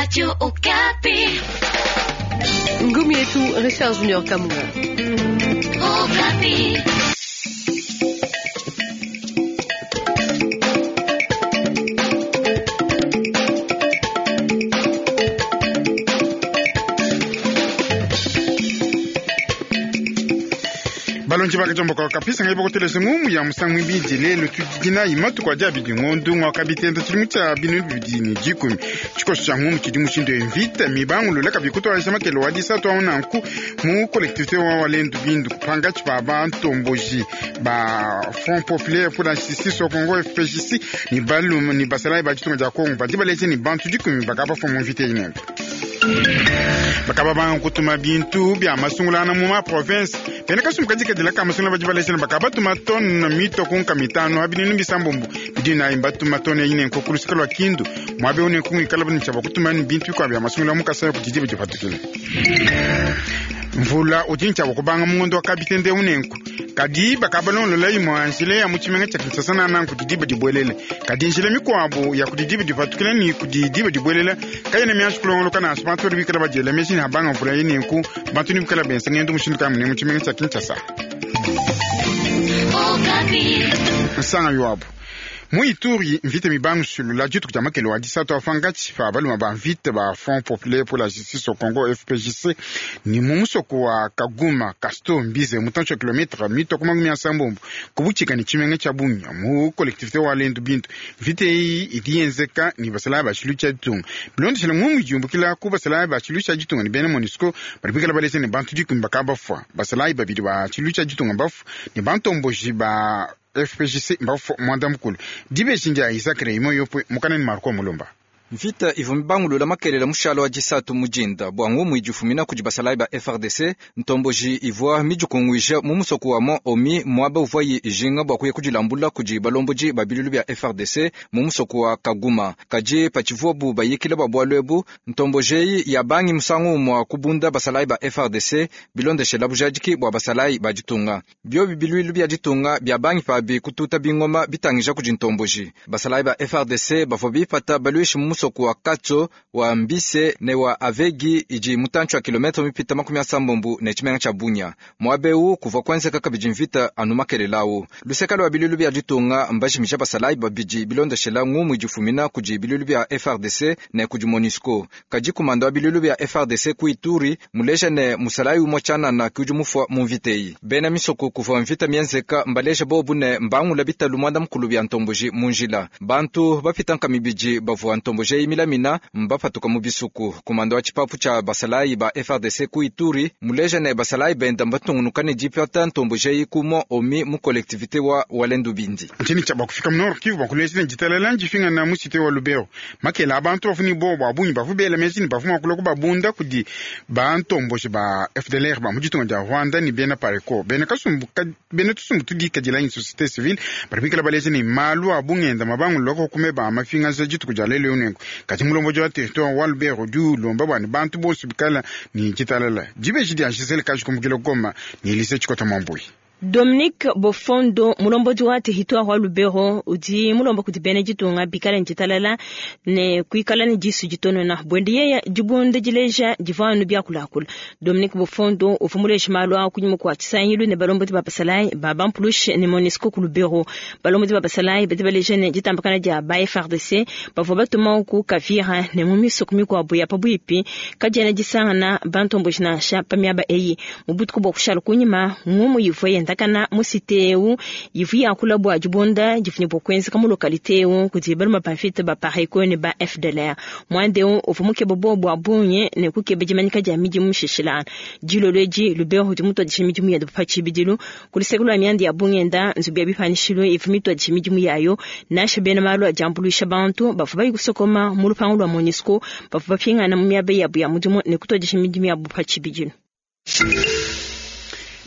Radio Okapi. Ngumi yetu Richard Junior Kamunga. Okapi. Balonji bakajomboka kapisa ngai bakotelesa ngumu ya musangu ibidi lelo tudinayi matuku adi abidi ngondu ngwakabitenda tshidimu tshia binu bibidi ne dikumi. Tshikoso tshia ngumu tshidi mushindu ya mvita mibangulula kabi kutwalisa makelo wa disatu awu nanku mu collectivité wa Walendu Bindu pangatshi pa bantomboji ba Front Populaire pour la Justice au Congo FPJC ni balume ni basalayi ba ditunga dia Congo badi baleje ni bantu dikumi bakabafua mu mvita inene. Bakaba banga kutuma bintu bya masungulana mu ma province bena kasumbu kadikadila ka masungula badi balejana bakaba batuma tone mito kunka mitano abininu bisambombo bidi nayi batuma tone ine nko kulusika lwa Kindu mwabe une kungikala bani chaba kutuma ni bintu bikwa bya masungula mu Kasai kudidi bidipatukile. Mvula udi nchaba kubanga mungondo wa kabitende unenku kadi bakabalongolola imwe njila ya mu tshimenga tshia Kinshasa na nanku didiba dibwelele kadi njila mikuabu ya kudidiba dipatukila ni kudidiba dibwelela kayena mianji kulongoloka nansha bantu badi bikala badiela meji ne habanga mvula yenenku bantu ni bikala benza ngendo mushindu kayi munene mu tshimenga tshia Kinshasa. Okapi. Nsanga yuabu mu Ituri mvita mibangu sulula dituku dia makelo wa disatu afangatshi pa baluma ba mvita ba Front Populaire pour la Justice au Congo FPJC ni mu musoko wa Kaguma Casto Mbize mutantshi wa kilometre mito ku makumi asambombo kubutshika ni tshimenga tshia Bunia mu collectivité wa Lendu Bintu. Mvita eyi idi yenzeka ni basalayi ba tshilu tshia ditunga bilondeshela ngumu idiumbukila ku basalayi ba tshilu tshia ditunga ni bena MONUSCO badi bikala balese ne bantu dikumi bakabafua basalayi babidi ba tshilu tshia ditunga bafua ni bantomboji ba FPJC mbafua mwanda mukulu dibeji ndia Isaac Raymond Yopwe mukaneni Marco Mulumba. Mvita ivua mibangulula makelela mushalo wa disatu mujinda bua ngumu idifumina kudi basalayi ba FARDC ntomboji ivua midikunguija mu musoko wa Mont Omi muaba uvuayi ijinga bua kuya kudilambula kudi balomboji ba bilulu bia FARDC mu musoko wa Kaguma. Kadi patshivuabu bayikila bua bualu ebu ntomboji eyi yabangi musangu umua kubunda basalayi ba FARDC bilondeshela bujadiki bua basalayi ba ditunga. Biobi biluilu bia ditunga bia bangi pabi kututa bingoma bitangija kudi ntomboji. Basalayi ba FARDC bavua bipata baluishi mu musoko wa Katso wa Mbise ne wa Avegi idi mutantshi wa kilometre mipita makumi asambombo ne tshimenga tshia Bunia. Muaba eu kuvua kuenzeka kabidi mvita anu makelela awu. Luseka lua bilulu bia ditunga mbajimija basalayi babidi bilondeshela ngumu idifumina kudi bilulu bia FARDC ne kudi MONUSCO. Kadi kumanda wa bilulu bia FARDC ku Ituri muleja ne musalayi umue tshianana ke udi mufua mu mvita eyi. Bena misoko kuvua mvita mienzeka mbaleja bobu ne mbangula bitalu muanda mukulu bia ntomboji mu njila. Bantu bapita nkama ibidi bavua ntomboji eyi milamina mbapatuka mu bisuku. Kumanda wa tshipapu tshia basalayi ba FARDC ku Ituri muleja ne basalayi benda mbatungunuka ne dipata ntomboji eyi ku Mont Omi mu collectivité wa Walendu Bindi. Ntshinyi tshia bakufika mu Nord Kivu bakuleja ne ditalela ndifingana mu cité wa Lubero. Makela abantu bavua ne bowa bua bungi bavua bela meji ne bavua mua kulua kubabunda kudi bantomboji ba FDLR ba mu ditunga dia Rwanda ne bena Pareco. Bena kasumbu ka, bena tusumbu tudikadila anyi société civile badi bikala baleja ne malu a bungenda mabangulula kukume ba mafingaza dituku dia lelo nenku. Kadi mulomboji wa territoire wa Lubero udi ulomba bua ne bantu bonso bikala ne ditalala. Dibeji dia Gisele Kaji kumbukila Goma ne Elise Tshikota Mwambui. Dominique Bofondo mulombodi wa territoire wa Lubero udi mulomba kudi bena ditunga bikala ne ditalala ne kuikala ne disu ditonona bwende yeya dibunda dileja divua anu biakulakula. Dominique Bofondo uvua muleje malu a kunyima kua tshisangilu ne balombodi ba basalayi ba bampulushe ne MONUSCO ku Lubero. Balombodi ba basalayi badi baleja ne ditambakana dia ba FARDC bavua batuma ku Kavira ne mu misoko mikuabu ya pabuipi kadiena disangana bantomboji nansha pa miaba eyi. Mu butuku bua kushala kunyima ngumu ivua yenda kana mu cité eu ivua yakula bua dibunda difunya bua kuenzeka mu localité eu kudi baluma ba mvita ba Pareco ne ba FDLR. Muanda eu uvua mukeba bowa bua bungi ne kukeba dimanyika dia midimu mishishilana. Dilolo edi Lubero udi mutuadije midimu yende pa tshibidilu ku luseke lua mianda ya bungenda nzubu ya bipanishilu ivua mituadije midimu yayo nansha bena malu a diambuluisha bantu bavua bayi kusokoma mu lupangu lua MONUSCO bavua bapingana mu miaba yabu ya mudimu ne kutuadija midimu yabu pa tshibidilu.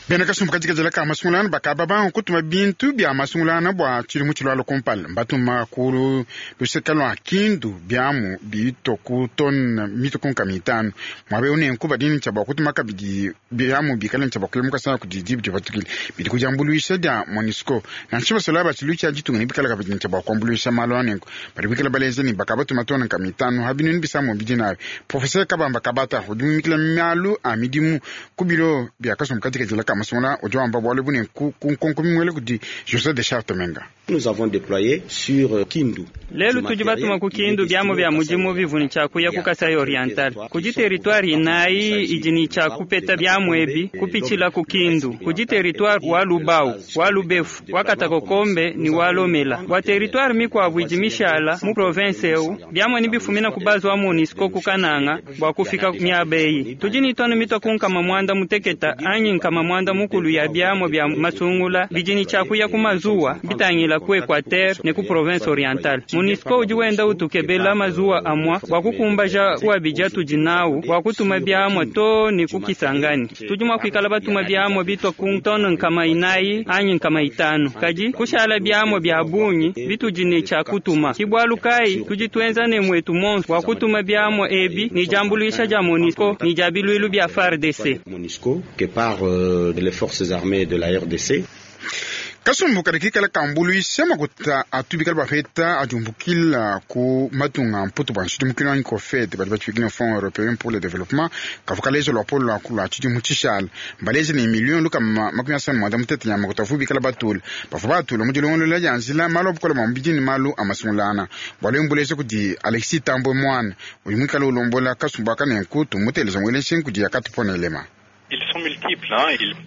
Bena kasumbu kadikadila ka masungulana bakaba banga kutuma bintu bia masungulana bua tshidimu tshilualua kumpala. Mbatuma ku luseke lua Kindu biamu bitue ku tone mitue ku nkama itanu. Muaba eu nenku badi ne tshia bua kutuma kabidi biamu bikale ne tshia bua kuya mu Kasai kudi diba dipatukile bidi ku diambuluisha dia Monusco. Nansha basolayi ba tshiluilu tshia ditunga nebikale kabidi ne tshia bua kuambuluisha malu a nenku. Badi bikale baleja ne bakabatuma tone nkama itanu ha binunu bisambo bidi nabi. Professeur Kabamba Kabata udi mumikila malu a midimu ku bilo bia kasumbu kadikadila ka masungula udi wamba bualu ebu nenku ku nkonko mimuela kudi Jose de Charte Menga. Nous avons déployé sur Kindu. Lelu tudi batuma ku Kindu biamu bia mudimu bivua ne tshia kuya ku Kasai Oriental. Kudi territoire inayi idi ne tshia kupeta biamu ebi kupitshila ku Kindu. Kudi territoire wa Lubao, wa Lubefu, wa Katakokombe ne wa Lomela. Bua territoire mikuabu idi mishala mu province eu, biamu nebifumina ku base wa Monusco ku Kananga bua kufika miaba eyi. Tudi ne tone mitua ku nkama muanda muteketa anyi nkama muanda mukulu ya biamu bia masungula bidi ne tshia kuya ku mazuwa bitangila ku Equateur ne ku province orientale. Monusco udi wenda utukebela mazuwa amua bua kukumbaja ku abidi atudi nawu bua kutuma biamua too ne ku Kisangani. Tudi mua kuikala batuma biamua bitua ku tone nkama inayi anyi nkama itanu, kadi kushala biamua bia bungi bitudi ne tshia kutuma. Ki bualu kayi tudi tuenza ne muetu monso bua kutuma biamua ebi ne diambuluisha dia Monusco ne dia biluilu bia FARDC. Monusco que par les forces armées de la RDC. Kasumbu kadi kikala kambuluisha makuta atu bikala bapeta adiumbukila ku matunga a mputu bua nshidimukilu anyi COFED badi batshibikila Fonds européen pour le développement kavua kaleja luapolo lua lua tshidimu tshishala. Mbaleja ne miliyo lukama makumi asanu muanda mutete ya makuta avu bikala batula bavua batula mu dilongolola dia njila malu a bukole bua mubidi ne malu a masungulana. Bualu ebu mbuleja kudi Alexis Thambwe Mwana udi muikale ulombola kasumbu aka nenku tumuteleja muele nshingu kudi Yakatupona Elema.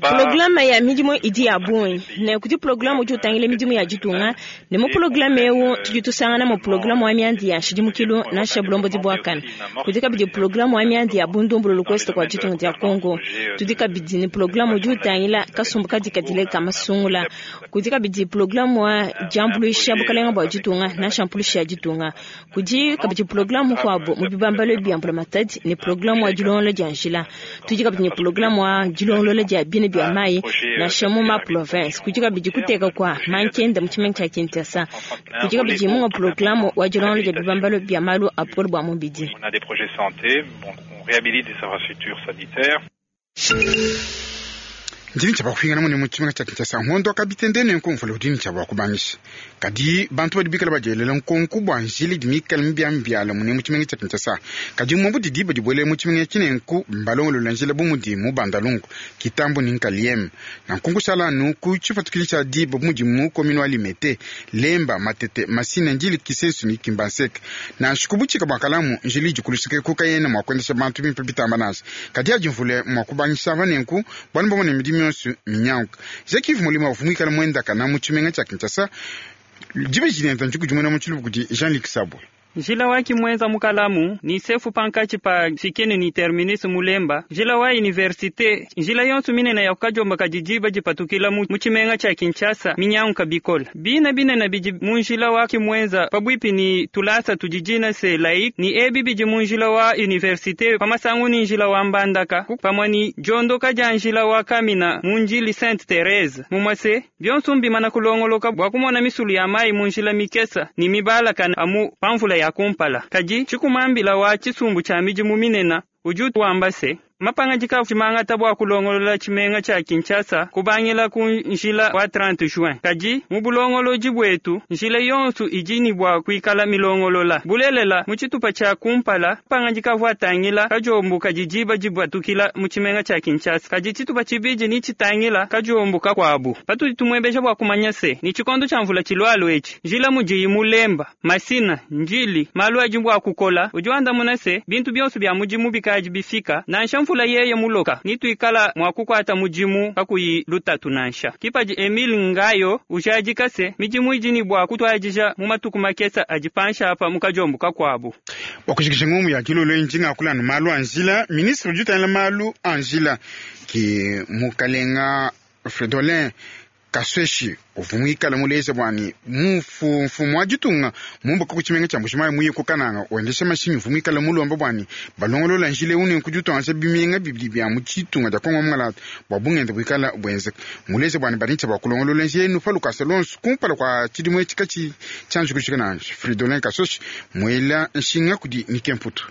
Programe ya midimu idi ya bungi ne kudi programe udi utangila midimu ya ditunga ne mu programe eu tudi tusangana mu programe wa miandi ya nshidimukilu nansha bulombodi buakane. Kudi kabidi programe wa miandi ya bundumbululu kuest kua ditunga dia Congo. Tudi kabidi ne programe udi utangila kasumbu kadikadile ka masungula. Kudi kabidi programe wa diambuluisha bukalenga bua ditunga nansha mpulushi ya ditunga. Kudi kabidi programe mukuabu mu bibambalu bia mbulamatadi ne programe wa dilongolola dia njila. Tudi kabidi ne programe wa dilongolola dia bina bia mayi nansha mu ma province. Kudi kabidi kuteka kua mankenda mu tshimenga tshia Kinshasa. Kudi kabidi munga programe wa dilongolola dia bibambalu bia malu a bukole bua mubidi. On a des projets santé, bon, on réhabilite des infrastructures sanitaires. Ndi ne tshia bua kupingana mune mu tshimenga tshia Kinshasa ngondo wa kabitende nenku mvula udi ne tshia bua kubangisha. Kadi bantu badi bikale badielela nkonko bua njila idi mikale mibiamibiala mune mu tshimenga tshia Kinshasa. Kadi muabu didi diba dibuele mu tshimenga etshi nenku mbalongolola njila bu mudi mu Bandalungu, Kitambo ne Nkalieme. Nanku nkushala anu ku tshipatukidi tshia diba bu mudi mu commune wa Limete, Lemba, Matete, Masina, Ndjili, Kisensu ne Kimbanseke. Nansha ku butshika bua kalamu, njila idi ku luseke ku kayena mua kuendesha bantu bimpe bitamba nansha. Kadi adi mvula mua kubangisha ava nenku bualu mbamone midimu yonso minyanguka. Jacques-Yves Molima uvua muikale muendakana mu tshimenga tshia Kinshasa dibeji diende ndikudimuna mu tshiluba kudi Jean-Luc Sabwe. Njila wa kimwenza mu kalamu ni sefu pankatshi pa Fikeni ni terminus Mulemba, njila wa universite, njila yonso minene ya kukajomba kadi diba dipatukila mu tshimenga tshia Kinshasa minyanguka bikola. Bina binene bidi mu njila wa kimwenza pabuipi ni tulasa tudi dina se laïc ni ebi bidi mu njila wa universite pamasangu ni njila wa Mbandaka pamue ni diondoka dia njila wa Kamina mu njili Sainte Therese mumue se bionso mbimana kulongoloka bua kumona misulu ya mayi mu njila mikesa ni mibalakana amu pamvula ya kumpala. Kadi tshikumambila wa tshisumbu tshia midimu minene udi wamba se mapangandika tshimangata bua kulongolola tshimenga tshia Kinshasa kubangila ku njila wa 30 juin. Kadi mu bulongolodi buetu njila yonso idi ne bua kuikala milongolola. Bulelela mu tshitupa tshia kumpala mapangandika avua atangila kadiombo kadi diba dibatukila mu tshimenga tshia Kinshasa. Kadi tshitupa tshibidi ni tshitangila kadiombo kakuabu. Patudi tumuebeja bua kumanya se ni tshikondo tshia mvula tshilualua etshi njila mudiyi Mulemba, Masina, Ndjili malu adi bua kukola udi wandamuna se bintu bionso bia mudimu bikadi bifika nansha mvula yeye muloka nituikala mua kukuata mudimu kakuyi lutatu nansha. Kipadi Emile Ngayo ujadika se midimu idi ne bua kutuadija mu matuku makesa adi panshi apa mu kadiombo kakuabu. Bua kujikija ngumu ya dilolo eyi ndi ngakula anu malu a njila. Ministre udi utangila malu a njila ki mukalenga Fridolin. Kasweshi uvua muikale muleja bua ne mfumu wa ditunga mumbuka ku tshimenga tshia Mbujimayi muye ku Kananga wendesha mashinyi uvua muikale mulomba bua ne balongolola njila eu ne kudiutuangaja bimenga bibidi bia mu ditunga dia Kongo Mungalata bua bungenda buikala buenzeka. Muleja bua ne badi bua kulongolola njila enu pa lukasa luonso kumpala kua tshidimu etshi katshi tshianji kujika nansha. Fridolin Kasweshi muela nshinga kudi Nike Mputu.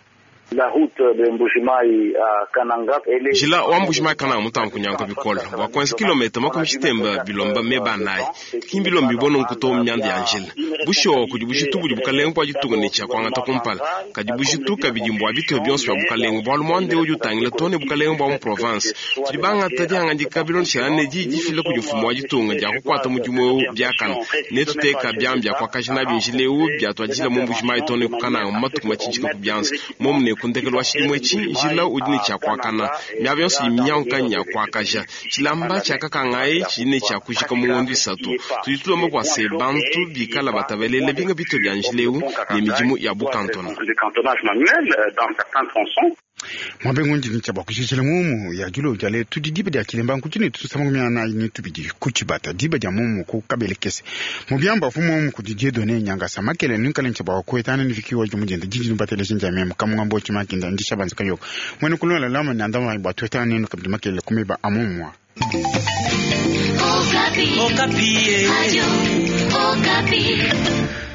La route de Mbujimayi à Kananga, elle est Njila wa Mbujimayi Kananga mutambe kunyanguka bikole bua kuenza kilometa makumi tshitemba bilomba meba anayi. Ki mbilombi nunku to mianda ya njila. Bushuwa kudi bujitu budi bukalenga bua ditunga ne tshia kuangata kumpala. Kadi bujitu kabidi mbua bitupa bionso bia bukalenga bualu muanda eu udi utangila too ne bukalenga bua mu province. Tudi bangata dihangadika bilondeshilangane ne diyi difila kudi mfumu wa ditunga dia kukuata mudimu eu biakane. Netuteka biamu bia kuakaja nabi njila eu biatuadijila mu Mbujimayi too ne ku Kananga mu matuku matshintshika ku bianza. Momu ne ku ndekelu wa tshidimu etshi njila udi ne tshia kuakana. Miaba yonso idi minyanguka nya kuakaja. Tshilamba tshia kakangayi tshidi ne tshia kujika mu ngondo isatu. Tudi tulomba bua se bantu bikala batabalele binga bitupa bia njila eu ne midimu ya bukantona. du cantonnage manuel dans certains tronçons. Mwabe ngundi ni tshiabua kushishila mumu ya dilo dia lelu tudi diba dia kilemba nkuti ne tusama kumia na ni tubidi kuchibata diba dia mumu ku kabelekese mubyamba fu mumu kudi Dieudonné Nyangasa makele nunkale ntshiabua kuetana ni vikiwa jumujenda jiji nubatele shinja memu kamungambo chimakinda ndisha banza kayoko mwene kulola lama nandama bwa tuetana nenu kabidi makele kumeba amumwa. Okapi. Okapi. Radio Okapi.